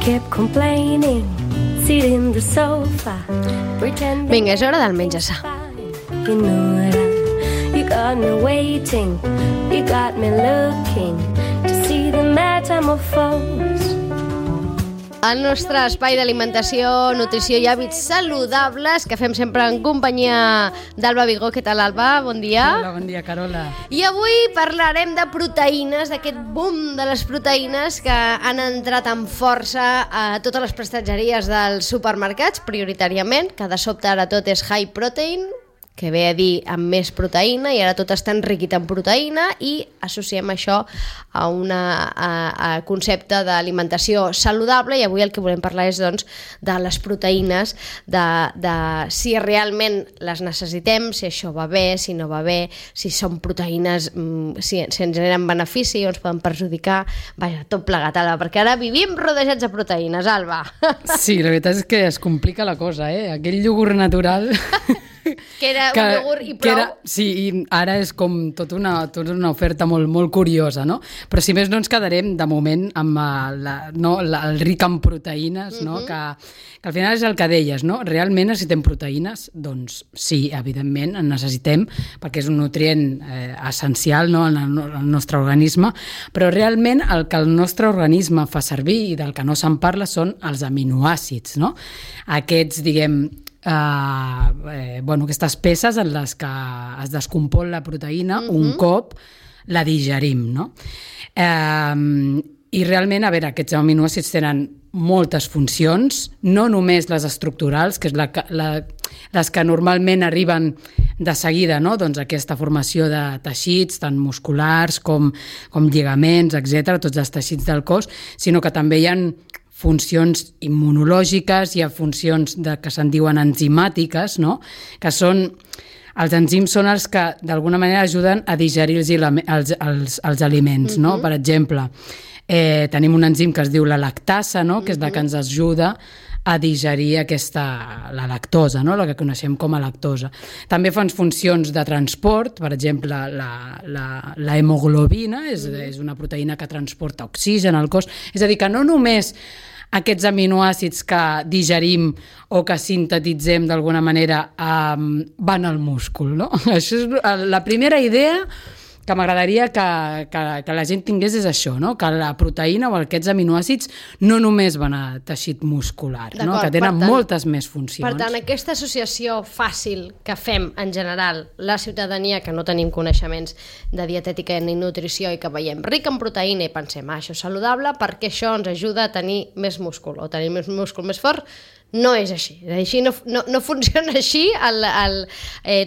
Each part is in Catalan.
kept complaining, sitting in the sofa, pretending. Vinga, és hora del menjar-se. You know it, you got me waiting, you got me looking to see the metamorphose. El nostre espai d'alimentació, nutrició i hàbits saludables que fem sempre en companyia d'Alba Vigó. Què tal, Alba? Bon dia. Hola, bon dia, Carola. I avui parlarem de proteïnes, d'aquest boom de les proteïnes que han entrat amb força a totes les prestatgeries dels supermercats, prioritàriament, que de sobte ara tot és high protein, que ve a dir amb més proteïna, i ara tot està enriquit en proteïna, i associem això a un concepte d'alimentació saludable, i avui el que volem parlar és doncs, de les proteïnes, de si realment les necessitem, si això va bé, si no va bé, si són proteïnes, si ens generen benefici o ens poden perjudicar, vaja, tot plegat, Alba, perquè ara vivim rodejats de proteïnes, Alba. Sí, la veritat és que es complica la cosa, aquell iogurt natural... Que era un iogurt i prou. Sí, i ara és com tota una oferta molt, molt curiosa, no? Però si més no ens quedarem, de moment, amb el ric en proteïnes, no? Que al final és el que deies, no? Realment necessitem proteïnes? Doncs sí, evidentment, en necessitem, perquè és un nutrient essencial, no? En el nostre organisme, però realment el que el nostre organisme fa servir i del que no se'n parla són els aminoàcids, no? Aquests, diguem, aquestes peces en les que es descompon la proteïna un cop la digerim, no? I realment, a veure, aquests aminoàcids tenen moltes funcions, no només les estructurals, que és les que normalment arriben de seguida, no? Doncs aquesta formació de teixits, tant musculars com lligaments, etc., tots els teixits del cos, sinó que també hi ha funcions immunològiques, hi ha funcions que se'n diuen enzimàtiques, no? Que són... Els enzims són els que, d'alguna manera, ajuden a digerir els aliments, no? Per exemple, tenim un enzim que es diu la lactasa, no? Que és la que ens ajuda a digerir la lactosa, no? La que coneixem com a lactosa. També fan funcions de transport, per exemple, la hemoglobina és una proteïna que transporta oxigen al cos, és a dir, que no només aquests aminoàcids que digerim o que sintetitzem d'alguna manera van al múscul, no? Això és la primera idea que m'agradaria que la gent tingués, és això, no? Que la proteïna o aquests aminoàcids no només van a teixit muscular, no? Que tenen moltes més funcions. Per tant, aquesta associació fàcil que fem en general la ciutadania que no tenim coneixements de dietètica ni nutrició i que veiem ric en proteïna i pensem, això és saludable perquè això ens ajuda a tenir més múscul o tenir més múscul més fort, no és així. No funciona així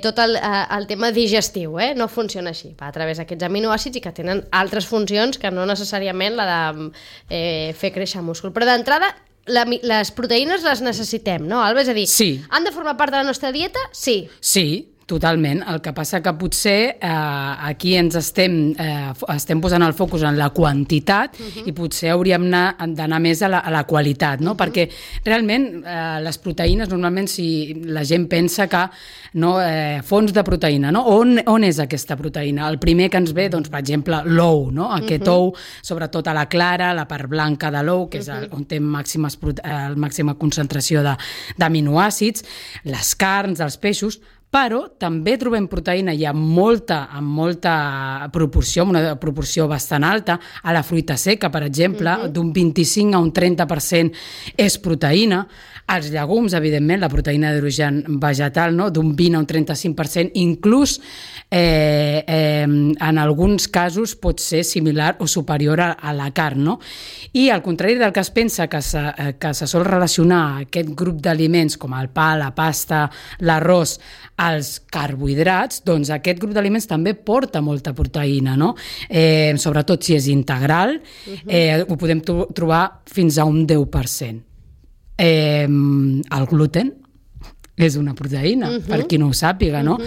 tot el tema digestiu, no funciona així. Va a través d'aquests aminoàcids i que tenen altres funcions que no necessàriament la de fer créixer múscul. Però d'entrada, les proteïnes les necessitem, no, Alba? És a dir, han de formar part de la nostra dieta? Sí. Sí, totalment. El que passa que potser aquí ens estem posant el focus en la quantitat i potser hauríem d'anar més a la qualitat, no? Perquè realment les proteïnes, normalment, si la gent pensa que fonts de proteïna, no? On és aquesta proteïna? El primer que ens ve, doncs, per exemple, l'ou, no? Aquest ou, sobretot a la clara, la part blanca de l'ou, que és on té màxima concentració d'aminoàcids, les carns, els peixos, però també trobem proteïna i amb molta proporció, una proporció bastant alta, a la fruita seca, per exemple, d'un 25 a un 30% és proteïna. Els llegums, evidentment, la proteïna d'origen vegetal, no? D'un 20 a un 35%, inclús en alguns casos pot ser similar o superior a la carn, no? I al contrari del que es pensa que se sol relacionar aquest grup d'aliments com el pa, la pasta, l'arròs, als carbohidrats, doncs aquest grup d'aliments també porta molta proteïna, no? Sobretot si és integral, ho podem trobar fins a un 10%. El gluten és una proteïna, per qui no ho sàpiga, no?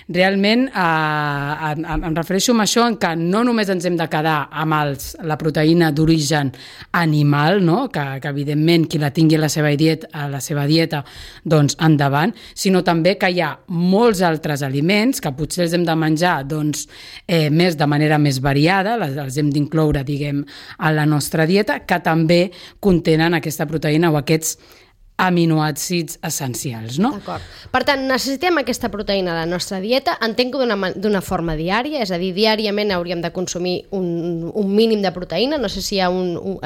realment em refereixo a això, en que no només ens hem de quedar amb la proteïna d'origen animal, no? que evidentment qui la tingui a la seva dieta, doncs endavant, sinó també que hi ha molts altres aliments que potser els hem de menjar doncs, de manera més variada, els hem d'incloure, diguem, a la nostra dieta, que també contenen aquesta proteïna o aquests aminoàcids essencials, no? D'acord. Per tant, necessitem aquesta proteïna a la nostra dieta, entenc que d'una forma diària, és a dir, diàriament hauríem de consumir un mínim de proteïna, no sé si hi ha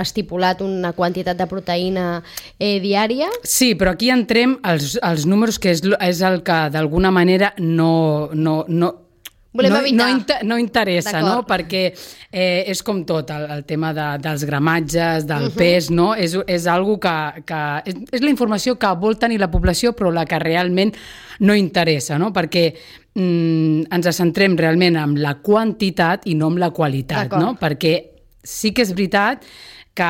estipulat una quantitat de proteïna diària. Sí, però aquí entrem als números, que és el que d'alguna manera no interessa, no? Perquè és com tot, el tema dels gramatges, del pes, no? És algo que és la informació que vol tenir la població, però la que realment no interessa, no? Perquè ens centrem realment en la quantitat i no en la qualitat, no? Perquè sí que és veritat que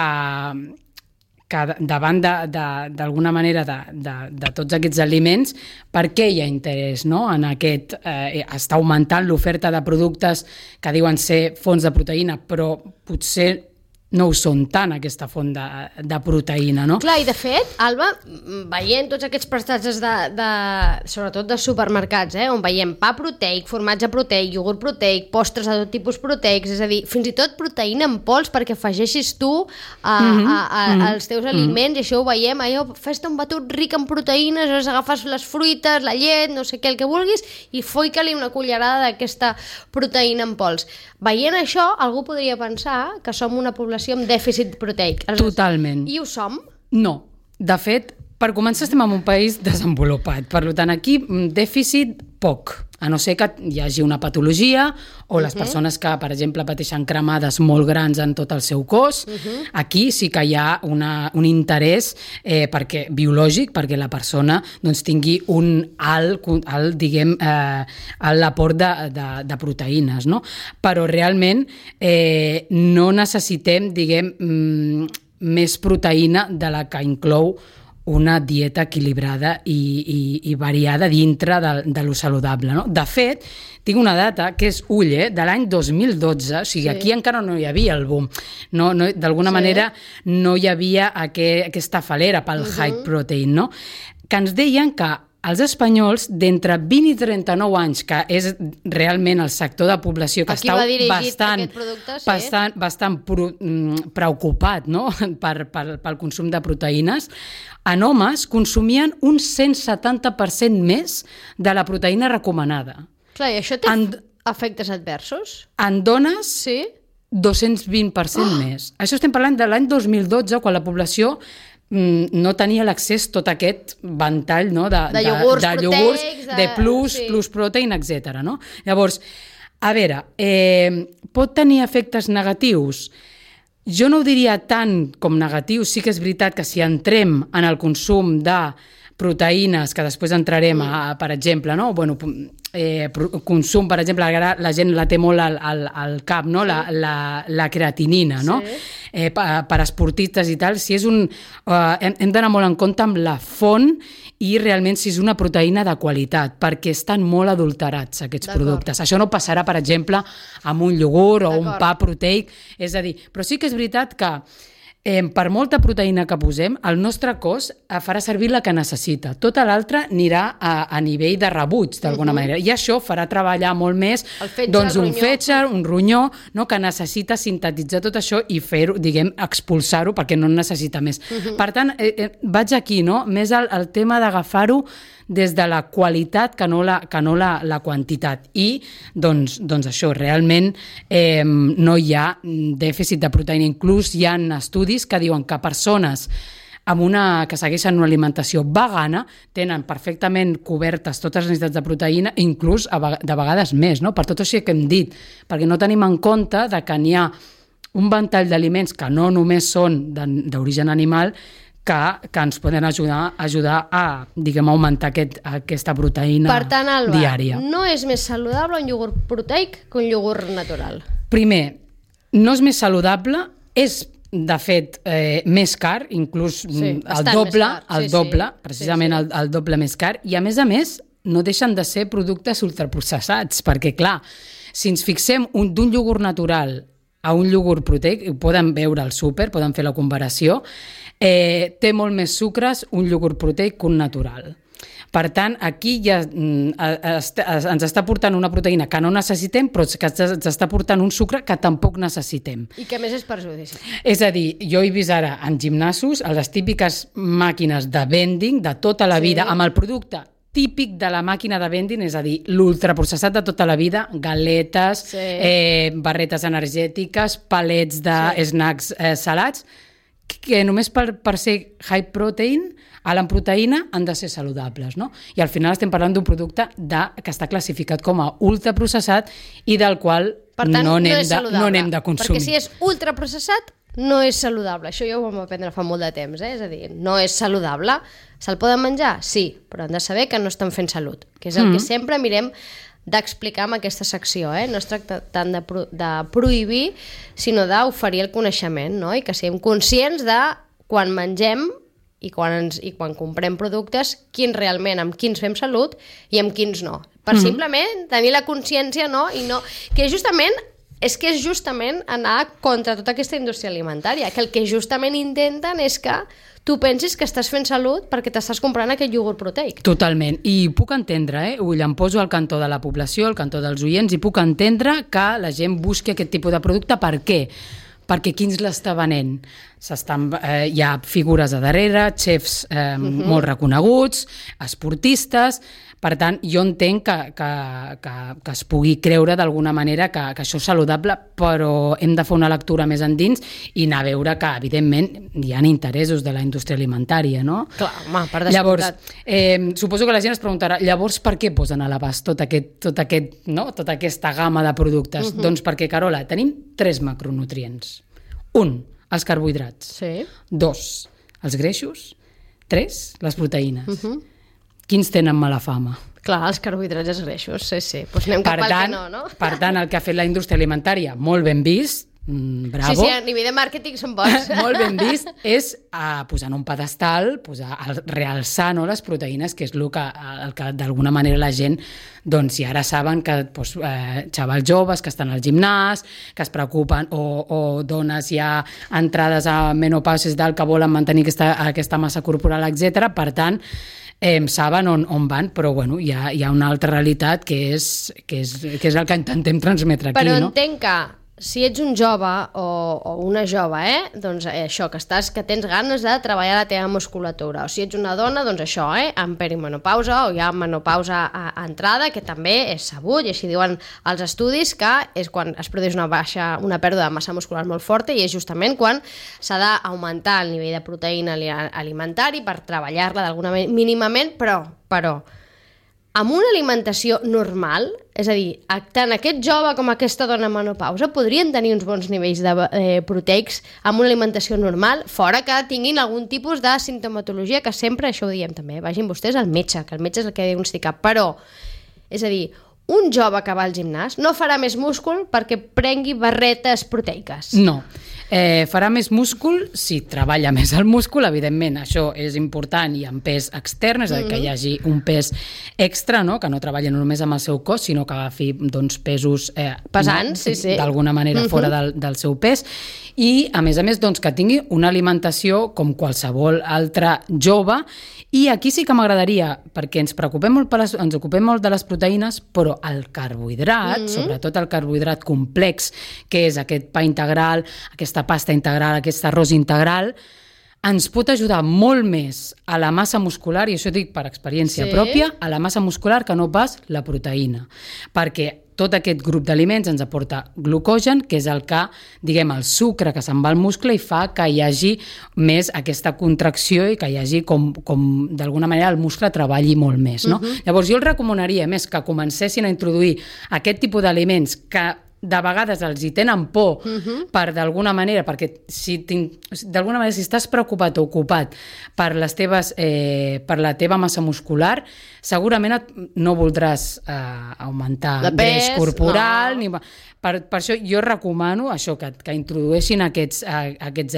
davant d'alguna manera de tots aquests aliments, per què hi ha interès, no? En aquest està augmentant l'oferta de productes que diuen ser fonts de proteïna, però potser no ho són tant, aquesta font de proteïna, no? Clar, i de fet, Alba, veient tots aquests prestatges sobretot de supermercats, on veiem pa proteic, formatge proteic, iogurt proteic, postres de tot tipus proteics, és a dir, fins i tot proteïna en pols perquè afegeixis tu als teus aliments, i això ho veiem, fes-te un batut ric en proteïnes, agafes les fruites, la llet, no sé què, el que vulguis, i foica-li una cullerada d'aquesta proteïna en pols. Veient això, algú podria pensar que som una població amb dèficit proteic. Totalment. I ho som? No. De fet, per començar estem en un país desenvolupat. Per tant, aquí dèficit poc, a no ser que hi hagi una patologia o les persones que, per exemple, pateixen cremades molt grans en tot el seu cos. Aquí sí que hi ha un interès biològic perquè la persona doncs, tingui un alt l'aport de proteïnes, no? Però realment no necessitem, diguem, més proteïna de la que inclou una dieta equilibrada i variada dintre de lo saludable, no? De fet, tinc una data que és de l'any 2012, o sigui, aquí encara no hi havia el boom. D'alguna manera no hi havia aquesta falera pel high protein, no? Que ens deien que els espanyols d'entre 20 i 39 anys, que és realment el sector de població que està bastant preocupat, no? pel consum de proteïnes, en homes consumien un 170% més de la proteïna recomanada. Clar, i això té efectes adversos? En dones, 220% més. Això estem parlant de l'any 2012, quan la població no tenia l'accés a tot aquest ventall, no? de iogurts, de plus protein, etc. No? Llavors, a veure, pot tenir efectes negatius? Jo no ho diria tant com negatius. Sí que és veritat que si entrem en el consum de proteïnes, que després entrarem per exemple, no? Consum, per exemple, la gent la té molt al cap, no? La creatinina, no? Per esportistes i tal, si és hem d'anar molt en compte amb la font i realment si és una proteïna de qualitat, perquè estan molt adulterats aquests productes. Això no passarà, per exemple, amb un iogurt o un pa proteic, és a dir, però sí que és veritat que per molta proteïna que posem, el nostre cos farà servir la que necessita. Tota l'altra anirà a nivell de rebuig, d'alguna manera. I això farà treballar molt més un fetge, un ronyó, que necessita sintetitzar tot això i fer-ho, diguem, expulsar-ho perquè no en necessita més. Per tant, vaig aquí, més al tema d'agafar-ho des de la qualitat que no la quantitat. I, doncs això, realment no hi ha dèficit de proteïna. Inclús hi ha estudis que diuen que persones que segueixen una alimentació vegana tenen perfectament cobertes totes les necessitats de proteïna, inclús de vegades més, per tot això que hem dit, perquè no tenim en compte que n'hi ha un ventall d'aliments que no només són d'origen animal, que ens poden ajudar a, diguem, augmentar aquesta proteïna diària. Per tant, Alba, no és més saludable un iogurt proteic que un iogurt natural? Primer, no és més saludable, és, de fet, més car, inclús el doble, precisament el doble més car, i a més, no deixen de ser productes ultraprocessats, perquè clar, si ens fixem d'un iogurt natural a un iogurt proteic, ho poden veure al súper, poden fer la comparació, té molt més sucres un iogurt proteic que un natural. Per tant, aquí ja ens està portant una proteïna que no necessitem, però que ens està portant un sucre que tampoc necessitem. I que més és perjudici. És a dir, jo he vist ara en gimnasos a les típiques màquines de vending de tota la vida, amb el producte típic de la màquina de vending, és a dir, l'ultraprocessat de tota la vida, galetes, barretes energètiques, palets de snacks salats, que només per ser high protein, alt en proteïna, han de ser saludables, no? I al final estem parlant d'un producte que està classificat com a ultraprocessat i del qual no n'hem de consumir. Perquè si és ultraprocessat, no és saludable. Això jo ho vam aprendre fa molt de temps, és a dir, no és saludable. Se'l poden menjar? Sí, però han de saber que no estan fent salut, que és el que sempre mirem d'explicar en aquesta secció, no es tracta tant de prohibir, sinó d'oferir el coneixement, no? I que siguem conscients de quan mengem i quan comprem productes, amb quins fem salut i amb quins no. Per simplement tenir la consciència, no? I no, que justament és anar contra tota aquesta indústria alimentària, que el que justament intenten és que tu pensis que estàs fent salut perquè t'estàs comprant aquest iogurt proteic. Totalment, i puc entendre, em poso al cantó de la població, al cantó dels oients, i puc entendre que la gent busqui aquest tipus de producte. Per què? Perquè qui ens l'està venent? Hi ha figures a darrere, xefs molt reconeguts, esportistes. Per tant, jo entenc que es pugui creure d'alguna manera que això és saludable, però hem de fer una lectura més endins i anar a veure que, evidentment, hi ha interessos de la indústria alimentària, no? Clar, home, per descomptat. Llavors, suposo que la gent es preguntarà, llavors per què posen a l'abast tota aquesta gamma de productes? Doncs perquè, Carola, tenim 3 macronutrients. 1, els carbohidrats. Sí. 2, els greixos. 3, les proteïnes. Quins tenen mala fama? Clar, els carbohidrats i els greixos, sí. Doncs anem cap al que no? Per tant, el que ha fet la indústria alimentària, molt ben vist, bravo. Sí, a nivell de màrqueting són bons. Molt ben vist, és posar en un pedestal, realçar les proteïnes, que és el que d'alguna manera la gent, doncs, i ara saben que xavals joves que estan al gimnàs, que es preocupen, o dones ja entrades a menopausa que volen mantenir aquesta massa corporal, etc. Per tant, saben on van, però bueno, hi ha una altra realitat que és el que intentem transmetre aquí. Però entenc que si ets un jove o una jove, doncs això, que tens ganes de treballar la teva musculatura, o si ets una dona, doncs això, en perimenopausa o ja en menopausa entrada, que també és sabut, i així diuen els estudis, que és quan es produeix una pèrdua de massa muscular molt forta, i és justament quan s'ha d'augmentar el nivell de proteïna alimentari per treballar-la d'alguna manera mínimament, però amb una alimentació normal, és a dir, tant aquest jove com aquesta dona en menopausa podrien tenir uns bons nivells de proteics amb una alimentació normal, fora que tinguin algun tipus de sintomatologia, que sempre, això ho diem també, vagin vostès al metge, que el metge és el que diagnostica, però, és a dir, un jove que va al gimnàs no farà més múscul perquè prengui barretes proteiques. No. Farà més múscul si treballa més el múscul, evidentment, això és important, i en pes extern, és a dir, que hi hagi un pes extra, no? Que no treballa només amb el seu cos, sinó que agafi pesos pesants, d'alguna manera fora del seu pes, i a més, doncs, que tingui una alimentació com qualsevol altre jove. I aquí sí que m'agradaria, perquè ens ocupem molt de les proteïnes, però el carbohidrat, sobretot el carbohidrat complex, que és aquest pa integral, aquesta pasta integral, aquest arròs integral, ens pot ajudar molt més a la massa muscular, i això dic per experiència pròpia, a la massa muscular que no pas la proteïna. Perquè tot aquest grup d'aliments ens aporta glucogen, que és el el sucre que se'n va al muscle i fa que hi hagi més aquesta contracció i que hi hagi com d'alguna manera el muscle treballi molt més, no? Llavors jo els recomanaria més que comencessin a introduir aquest tipus d'aliments que de vegades els hi tenen por per d'alguna manera, perquè si estàs preocupat o ocupat per la teva massa muscular, segurament no voldràs augmentar greix corporal. No. Per això jo recomano això, que introdueixin aquests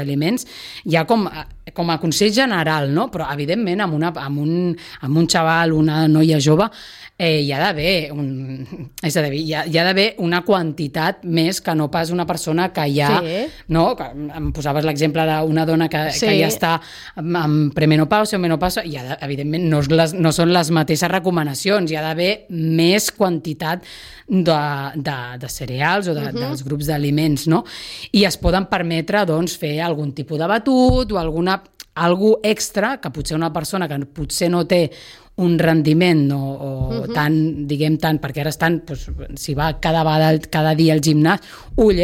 aliments. Hi ha com com a consell general, no? Però evidentment amb un xaval, una noia jove, hi ha d'haver hi ha d'haver una quantitat més que no pas una persona que ja, no? Em posaves l'exemple d'una dona que ja està en premenopausa o menopausa, i evidentment no són les mateixes recomanacions, hi ha d'haver més quantitat de cereals o dels grups d'aliments, no? I es poden permetre, doncs, fer algun tipus de batut o algú extra que potser una persona que potser no té un rendiment tant, perquè ara estan, si va cada dia al gimnàs,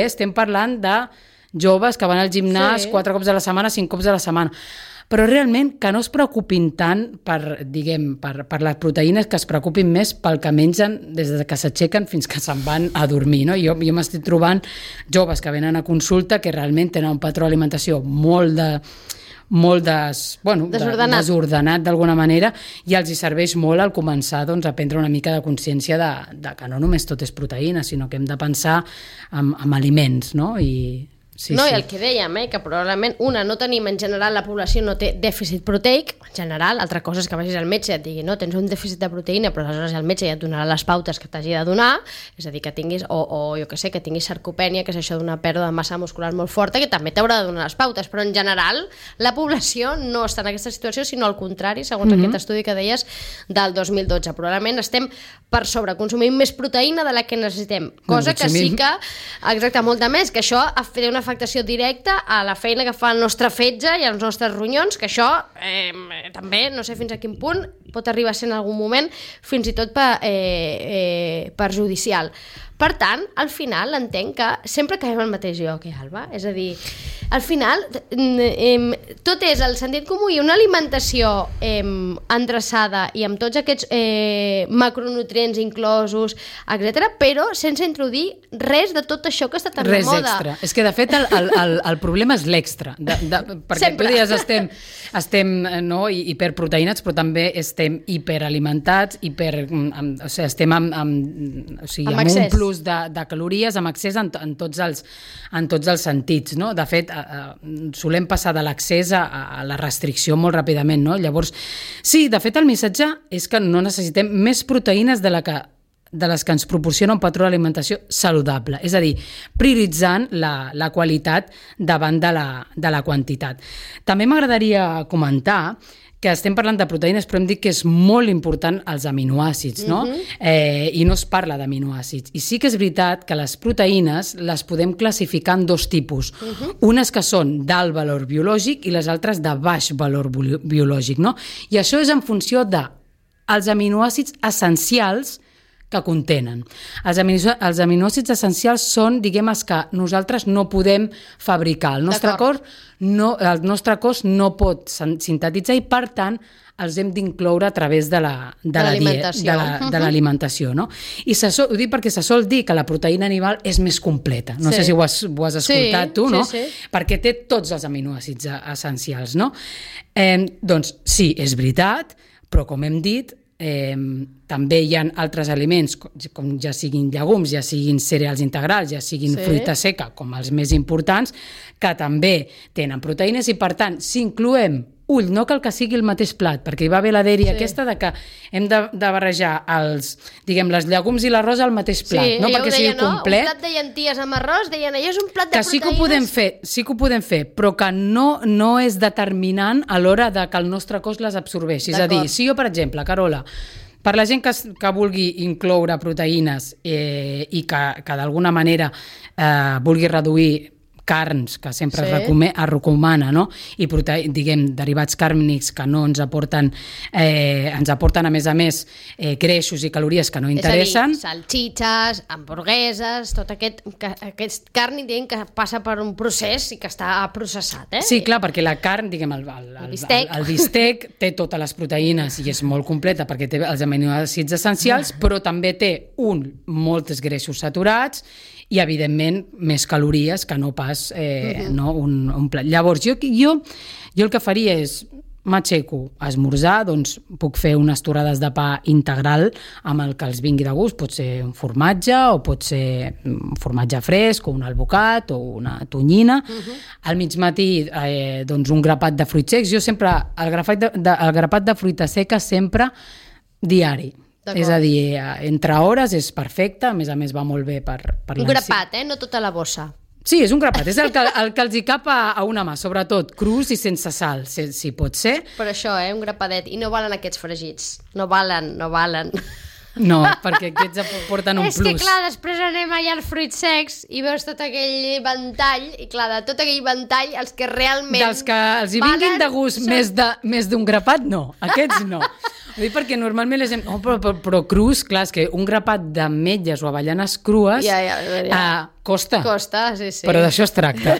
estem parlant de joves que van al gimnàs 4 cops a la setmana, 5 cops a la setmana, però realment que no es preocupin tant per les proteïnes, que es preocupin més pel que mengen des que s'aixequen fins que se'n van a dormir, no? Jo m'estic trobant joves que venen a consulta que realment tenen un patró d'alimentació molt desordenat d'alguna manera, i els hi serveix molt al començar a prendre una mica de consciència de que no només tot és proteïna, sinó que hem de pensar en aliments, no? I el que dèiem, que probablement no tenim en general, la població no té dèficit proteic, en general, altra cosa és que vagis al metge i et digui, no, tens un dèficit de proteïna, però aleshores el metge ja et donarà les pautes que t'hagi de donar, és a dir, que tinguis, o jo què sé, que tinguis sarcopènia, que és això d'una pèrdua de massa muscular molt forta, que també t'haurà de donar les pautes, però en general la població no està en aquesta situació, sinó al contrari, segons aquest estudi que deies del 2012. Probablement estem per sobreconsumir més proteïna de la que necessitem, cosa que sí que, exacte, molta més, que això té una afectació directa a la feina que fa el nostre fetge i als nostres ronyons, que això també, no sé fins a quin punt, pot arribar a ser en algun moment fins i tot perjudicial. Per tant, al final entenc que sempre caiem al mateix lloc, Alba? És a dir, al final tot és el sentit comú i una alimentació endreçada i amb tots aquests macronutrients inclosos, etc., però sense introduir res de tot això que està tan de moda. Res extra. És que, de fet, el problema és l'extra. Perquè tu dius estem hiperproteïnats, però també estem hiperalimentats, estem amb un plus de calories, amb accés en tots els sentits, no? De fet, solem passar de l'accés a la restricció molt ràpidament, no? Llavors, sí, de fet, el missatge és que no necessitem més proteïnes de les que ens proporciona un patró d'alimentació saludable, és a dir, prioritzant la qualitat davant de la quantitat. També m'agradaria comentar que estem parlant de proteïnes, però hem dit que és molt important els aminoàcids, no? I no es parla d'aminoàcids. I sí que és veritat que les proteïnes les podem classificar en 2 tipus. Unes que són d'alt valor biològic i les altres de baix valor biològic, no? I això és en funció dels aminoàcids essencials que contenen. Els aminoàcids essencials són, els que nosaltres no podem fabricar. El nostre cos no pot sintetitzar i, per tant, els hem d'incloure a través de l'alimentació. No? I ho dic perquè se sol dir que la proteïna animal és més completa. No sé si ho has escoltat tu, no? Perquè té tots els aminoàcids essencials. No? Doncs sí, és veritat, però com hem dit, també hi ha altres aliments, com ja siguin llegums, ja siguin cereals integrals, ja siguin fruita seca, com els més importants, que també tenen proteïnes i, per tant, si incloem no cal que sigui el mateix plat, perquè hi va haver la dèria aquesta de que hem de barrejar les llegums i l'arròs al mateix plat, no? Perquè sigui complet. Un plat de llenties amb arròs, deien, allò és un plat de proteïnes. Sí que ho podem fer, però que no és determinant a l'hora de que el nostre cos les absorbeixi. És a dir, si jo, per exemple, Carola, per la gent que vulgui incloure proteïnes i que d'alguna manera vulgui reduir carns, que sempre es recomana, no? I derivats càrnics que no ens aporten, a més, greixos i calories que no interessen. És a dir, salxitxes, hamburgueses, tot aquest càrnic que passa per un procés i que està processat. Sí, clar, perquè la carn, el bistec té totes les proteïnes i és molt completa perquè té els aminoàcids essencials, però també té molts greixos saturats i, evidentment, més calories que no pas un plat. Llavors, jo el que faria és m'aixeco a esmorzar, doncs puc fer unes torrades de pa integral amb el que els vingui de gust, pot ser un formatge o pot ser un formatge fresc o un albocat o una tonyina. Al migmatí doncs un grapat de fruits secs. Jo sempre, el grapat de fruita seca sempre diari. És a dir, entre hores és perfecte, a més va molt bé per un grapat, no tota la bossa. Sí, és un grapat, és el que els hi cap a una mà, sobretot crus i sense sal, si pot ser. Però això, un grapadet, i no valen aquests fregits, no valen. No, perquè aquests aporten un plus. És que clar, després anem allà als fruits secs i veus tot aquell ventall, i clar, de tot aquell ventall, els que realment dels que els hi vinguin de gust més d'un grapat, no, aquests no. Ho dic perquè normalment la gent... però crus, clar, és que un grapat d'ametlles o avellanes crues costa. Costa, sí. Però d'això es tracta.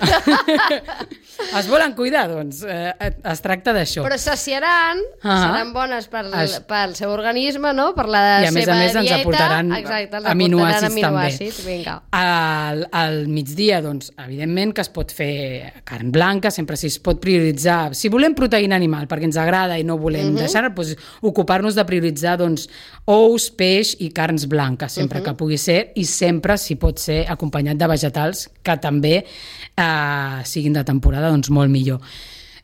Es volen cuidar, doncs es tracta d'això. Però saciaran, seran bones pel seu organisme, no? Per la seva dieta. I a més ens aportaran aminoàcids també. Vinga. Al migdia, doncs, evidentment que es pot fer carn blanca, sempre si es pot prioritzar. Si volem proteïna animal, perquè ens agrada i no volem deixar, doncs ocupar-nos de prioritzar doncs, ous, peix i carns blanques, sempre que pugui ser, i sempre, si pot ser, acompanyat de vegetals que també siguin de temporada, doncs molt millor.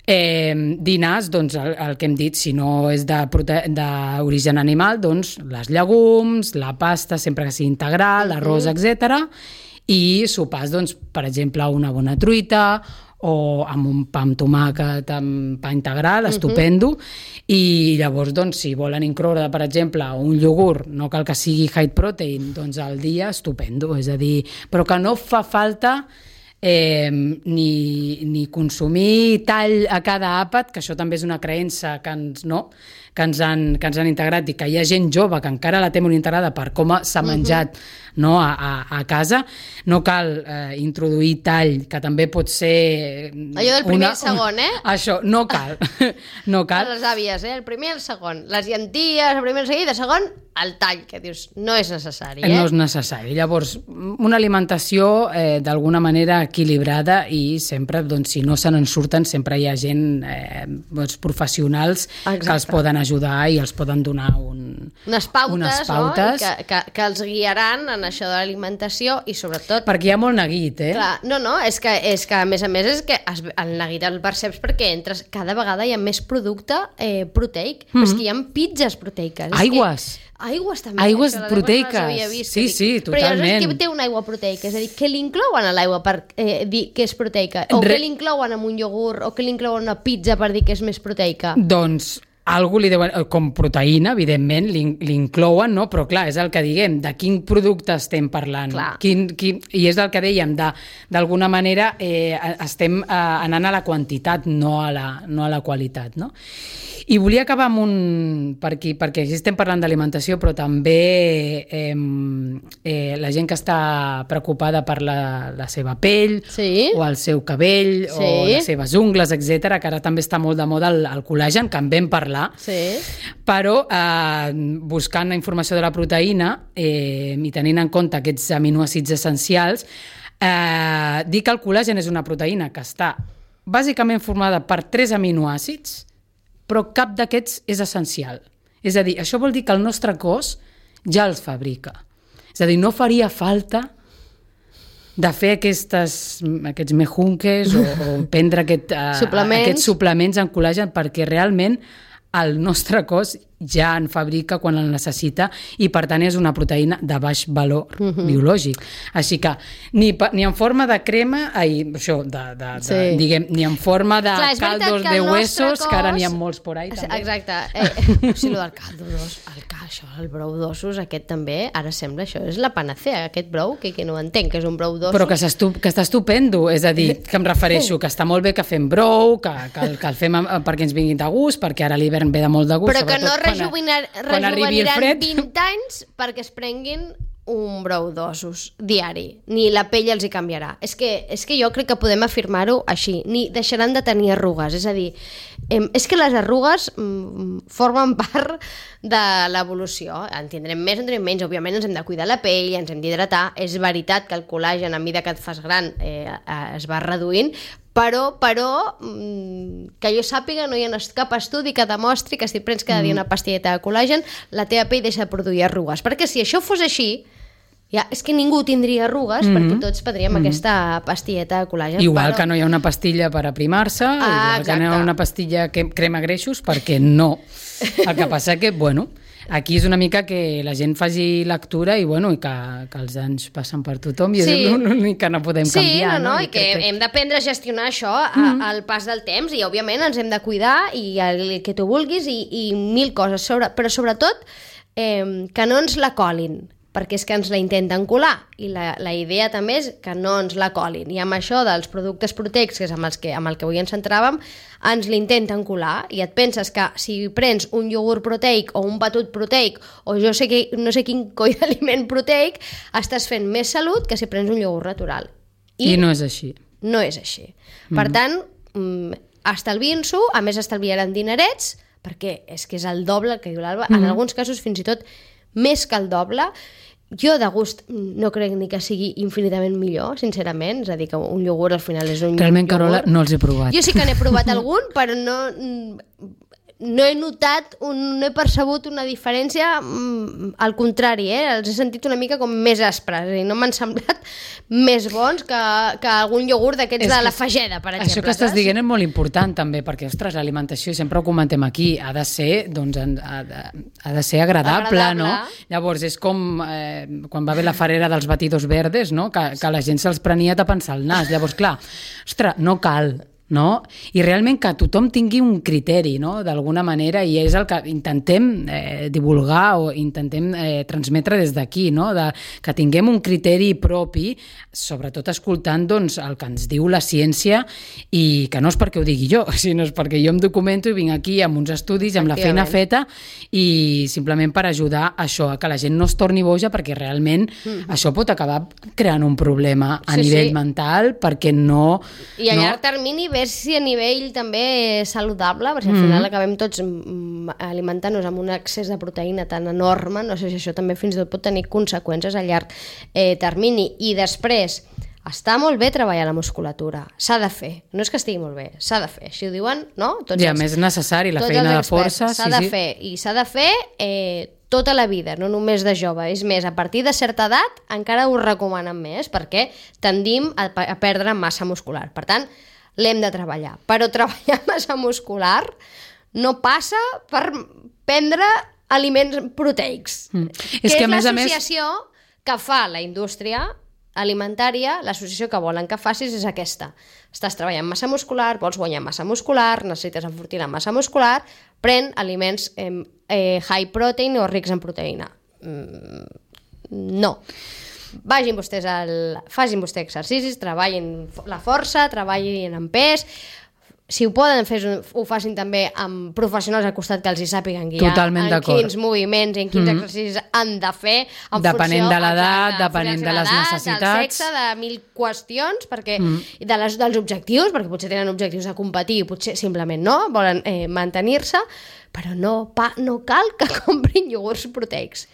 Dinars, doncs el que hem dit, si no és d'origen animal, doncs les llegums, la pasta, sempre que sigui integral, l'arròs, etc. I sopars, doncs, per exemple, una bona truita o amb un pa amb tomàquet, amb pa integral, estupendo, i llavors, doncs, si volen incloure, per exemple, un iogurt, no cal que sigui high protein, doncs al dia, estupendo, és a dir, però que no fa falta ni consumir tall a cada àpat, que això també és una creença que ens han integrat, i que hi ha gent jove que encara la té molt integrada per com s'ha menjat a casa. No cal introduir tall, que també pot ser... Allò del primer i el segon, Això, no cal. No cal. Les àvies, el primer i el segon. Les llenties, el primer i el segon, i de segon, el tall, que dius, no és necessari. No és necessari. Llavors, una alimentació d'alguna manera equilibrada, i sempre, doncs, si no se n'en surten, sempre hi ha gent, professionals, que els poden ajudar i els poden donar unes pautes. No? Que els guiaran en això de l'alimentació, i sobretot... Perquè hi ha molt neguit, Clar, no, és que a més és que el neguit el perceps perquè entres, cada vegada hi ha més producte proteic, però és que hi ha pizzas proteiques. Aigües també. Aigües proteiques. Sí, totalment. Però llavors què té una aigua proteica? És a dir, què li inclouen a l'aigua per dir que és proteica? O què li inclouen en un iogurt? O què li inclouen a una pizza per dir que és més proteica? Doncs algú li deuen, com proteïna, evidentment, l'inclouen, no? Però clar, és el que diguem, de quin producte estem parlant. I és el que dèiem, d'alguna manera estem anant a la quantitat, no a la qualitat, no? I volia acabar amb perquè aquí estem parlant d'alimentació, però també la gent que està preocupada per la seva pell, o el seu cabell, o les seves ungles, etc., que ara també està molt de moda el col·làgen, que en vam parlar, però buscant la informació de la proteïna i tenint en compte aquests aminoàcids essencials, dir que el col·làgen és una proteïna que està bàsicament formada per 3 aminoàcids, però cap d'aquests és essencial. És a dir, això vol dir que el nostre cos ja els fabrica. És a dir, no faria falta de fer aquests mejunques o prendre aquests suplements en col·làgen, perquè realment el nostre cos ja en fabrica quan el necessita, i per tant és una proteïna de baix valor biològic. Així que ni en forma de crema, diguem, ni en forma de caldos de huesos, que ara n'hi ha molts por ahí també. Exacte. Sí, el del caldo d'ossos, el brou d'ossos, aquest també, ara sembla això, és la panacea, aquest brou, que no entenc, que és un brou d'ossos. Però que està estupendo, és a dir, que em refereixo, que està molt bé que fem brou, que el fem perquè ens vinguin de gust, perquè ara l'hivern ve de molt de gust, però que no rejuveniraran 20 anys perquè es prenguin un brou d'ossos diari, ni la pell els hi canviarà. És que jo crec que podem afirmar-ho així, ni deixaran de tenir arrugues, és a dir, és que les arrugues formen part de l'evolució, en tindrem més, en tindrem menys, òbviament ens hem de cuidar la pell, ens hem d'hidratar, és veritat que el col·làgen a mesura que et fas gran es va reduint, Però, que jo sàpiga, no hi ha cap estudi que demostri que si prens cada dia una pastilleta de col·làgen, la teva pell deixa de produir arrugues. Perquè si això fos així, és que ningú tindria arrugues perquè tots prendríem aquesta pastilleta de col·làgen. Igual que no hi ha una pastilla per aprimar-se, igual que no hi ha una pastilla que crema greixos, perquè no. El que passa que, aquí és una mica que la gent faci lectura i que els anys passen per tothom i és l'únic que no podem canviar. I que hem d'aprendre a gestionar això al pas del temps i, òbviament, ens hem de cuidar i el que tu vulguis i mil coses. Però, sobretot, que no ens la colin, perquè és que ens la intenten colar i la idea també és que no ens la colin i amb això dels productes proteics, que és amb el que avui ens centràvem, ens l'intenten colar i et penses que si prens un iogurt proteic o un batut proteic o no sé quin coi d'aliment proteic, estàs fent més salut que si prens un iogurt natural. I no és així. No és així. Per tant, estalviïn-s'ho, a més estalviaran dinerets, perquè és que és el doble el que diu l'Alba, en alguns casos fins i tot més que el doble. Jo de gust no crec ni que sigui infinitament millor, sincerament, és a dir, que un iogurt al final és un iogurt. Realment, Carola, no els he provat. Jo sí que n'he provat algun, però no he notat, no he percebut una diferència, al contrari, els he sentit una mica com més aspres i no m'han semblat més bons que algun iogurt d'aquests de la Fageda, per exemple. Això que estàs dient és molt important també, perquè, ostres, l'alimentació, sempre ho comentem aquí, ha de ser agradable, no? Llavors, és com quan va haver la farera dels batidos verdes, no? Que la gent se'ls prenia tapant-se el nas. Llavors, clar, ostres, no cal, no? I realment que tothom tingui un criteri, no? D'alguna manera, i és el que intentem divulgar o intentem transmetre des d'aquí, no? Que tinguem un criteri propi, sobretot escoltant el que ens diu la ciència, i que no és perquè ho digui jo, sinó és perquè jo em documento i vinc aquí amb uns estudis, amb la feina feta, i simplement per ajudar això, a que la gent no es torni boja, perquè realment això pot acabar creant un problema a nivell mental, perquè no... I a llarg termini ver si a nivell també saludable, perquè al final acabem tots alimentant-nos amb un excés de proteïna tan enorme, no sé si això també fins i tot pot tenir conseqüències a llarg termini. I després, està molt bé treballar la musculatura, s'ha de fer, no és que estigui molt bé, s'ha de fer, així ho diuen, no? I a més és necessari, la feina de força. S'ha de fer, i s'ha de fer tota la vida, no només de jove. És més, a partir de certa edat encara ho recomanen més, perquè tendim a perdre massa muscular. Per tant, l'hem de treballar. Però treballar massa muscular no passa per prendre aliments proteics. És l'associació que fa la indústria alimentària, l'associació que volen que facis és aquesta. Estàs treballant massa muscular, vols guanyar massa muscular, necessites enfortir la massa muscular, pren aliments high protein o rics en proteïna. No. Facin vostès exercicis, treballin la força, treballin en pes, si ho poden fer, ho facin també amb professionals al costat que els hi sàpiguen guiar en quins moviments i en quins exercicis han de fer en depenent de l'edat, depenent de les necessitats, del sexe, de mil qüestions, perquè dels objectius, perquè potser tenen objectius de competir i potser simplement no, volen mantenir-se, però no cal que comprin iogurts proteics.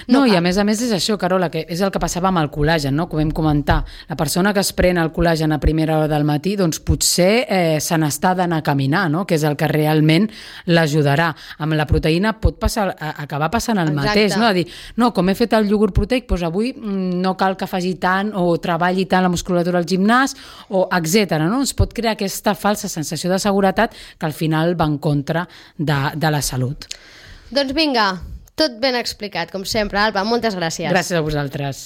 No, i a més és això, Carola, que és el que passava amb el col·làgen, no? Com vam comentar. La persona que es pren el col·làgen a primera hora del matí, doncs potser se n'està d'anar a caminar, no? Que és el que realment l'ajudarà. Amb la proteïna pot acabar passant el mateix, no? A dir, no, com he fet el iogurt proteic, doncs avui no cal que faci tant o treballi tant la musculatura al gimnàs, o etc. No? Es pot crear aquesta falsa sensació de seguretat que al final va en contra de la salut. Doncs vinga, tot ben explicat, com sempre, Alba, moltes gràcies. Gràcies a vosaltres.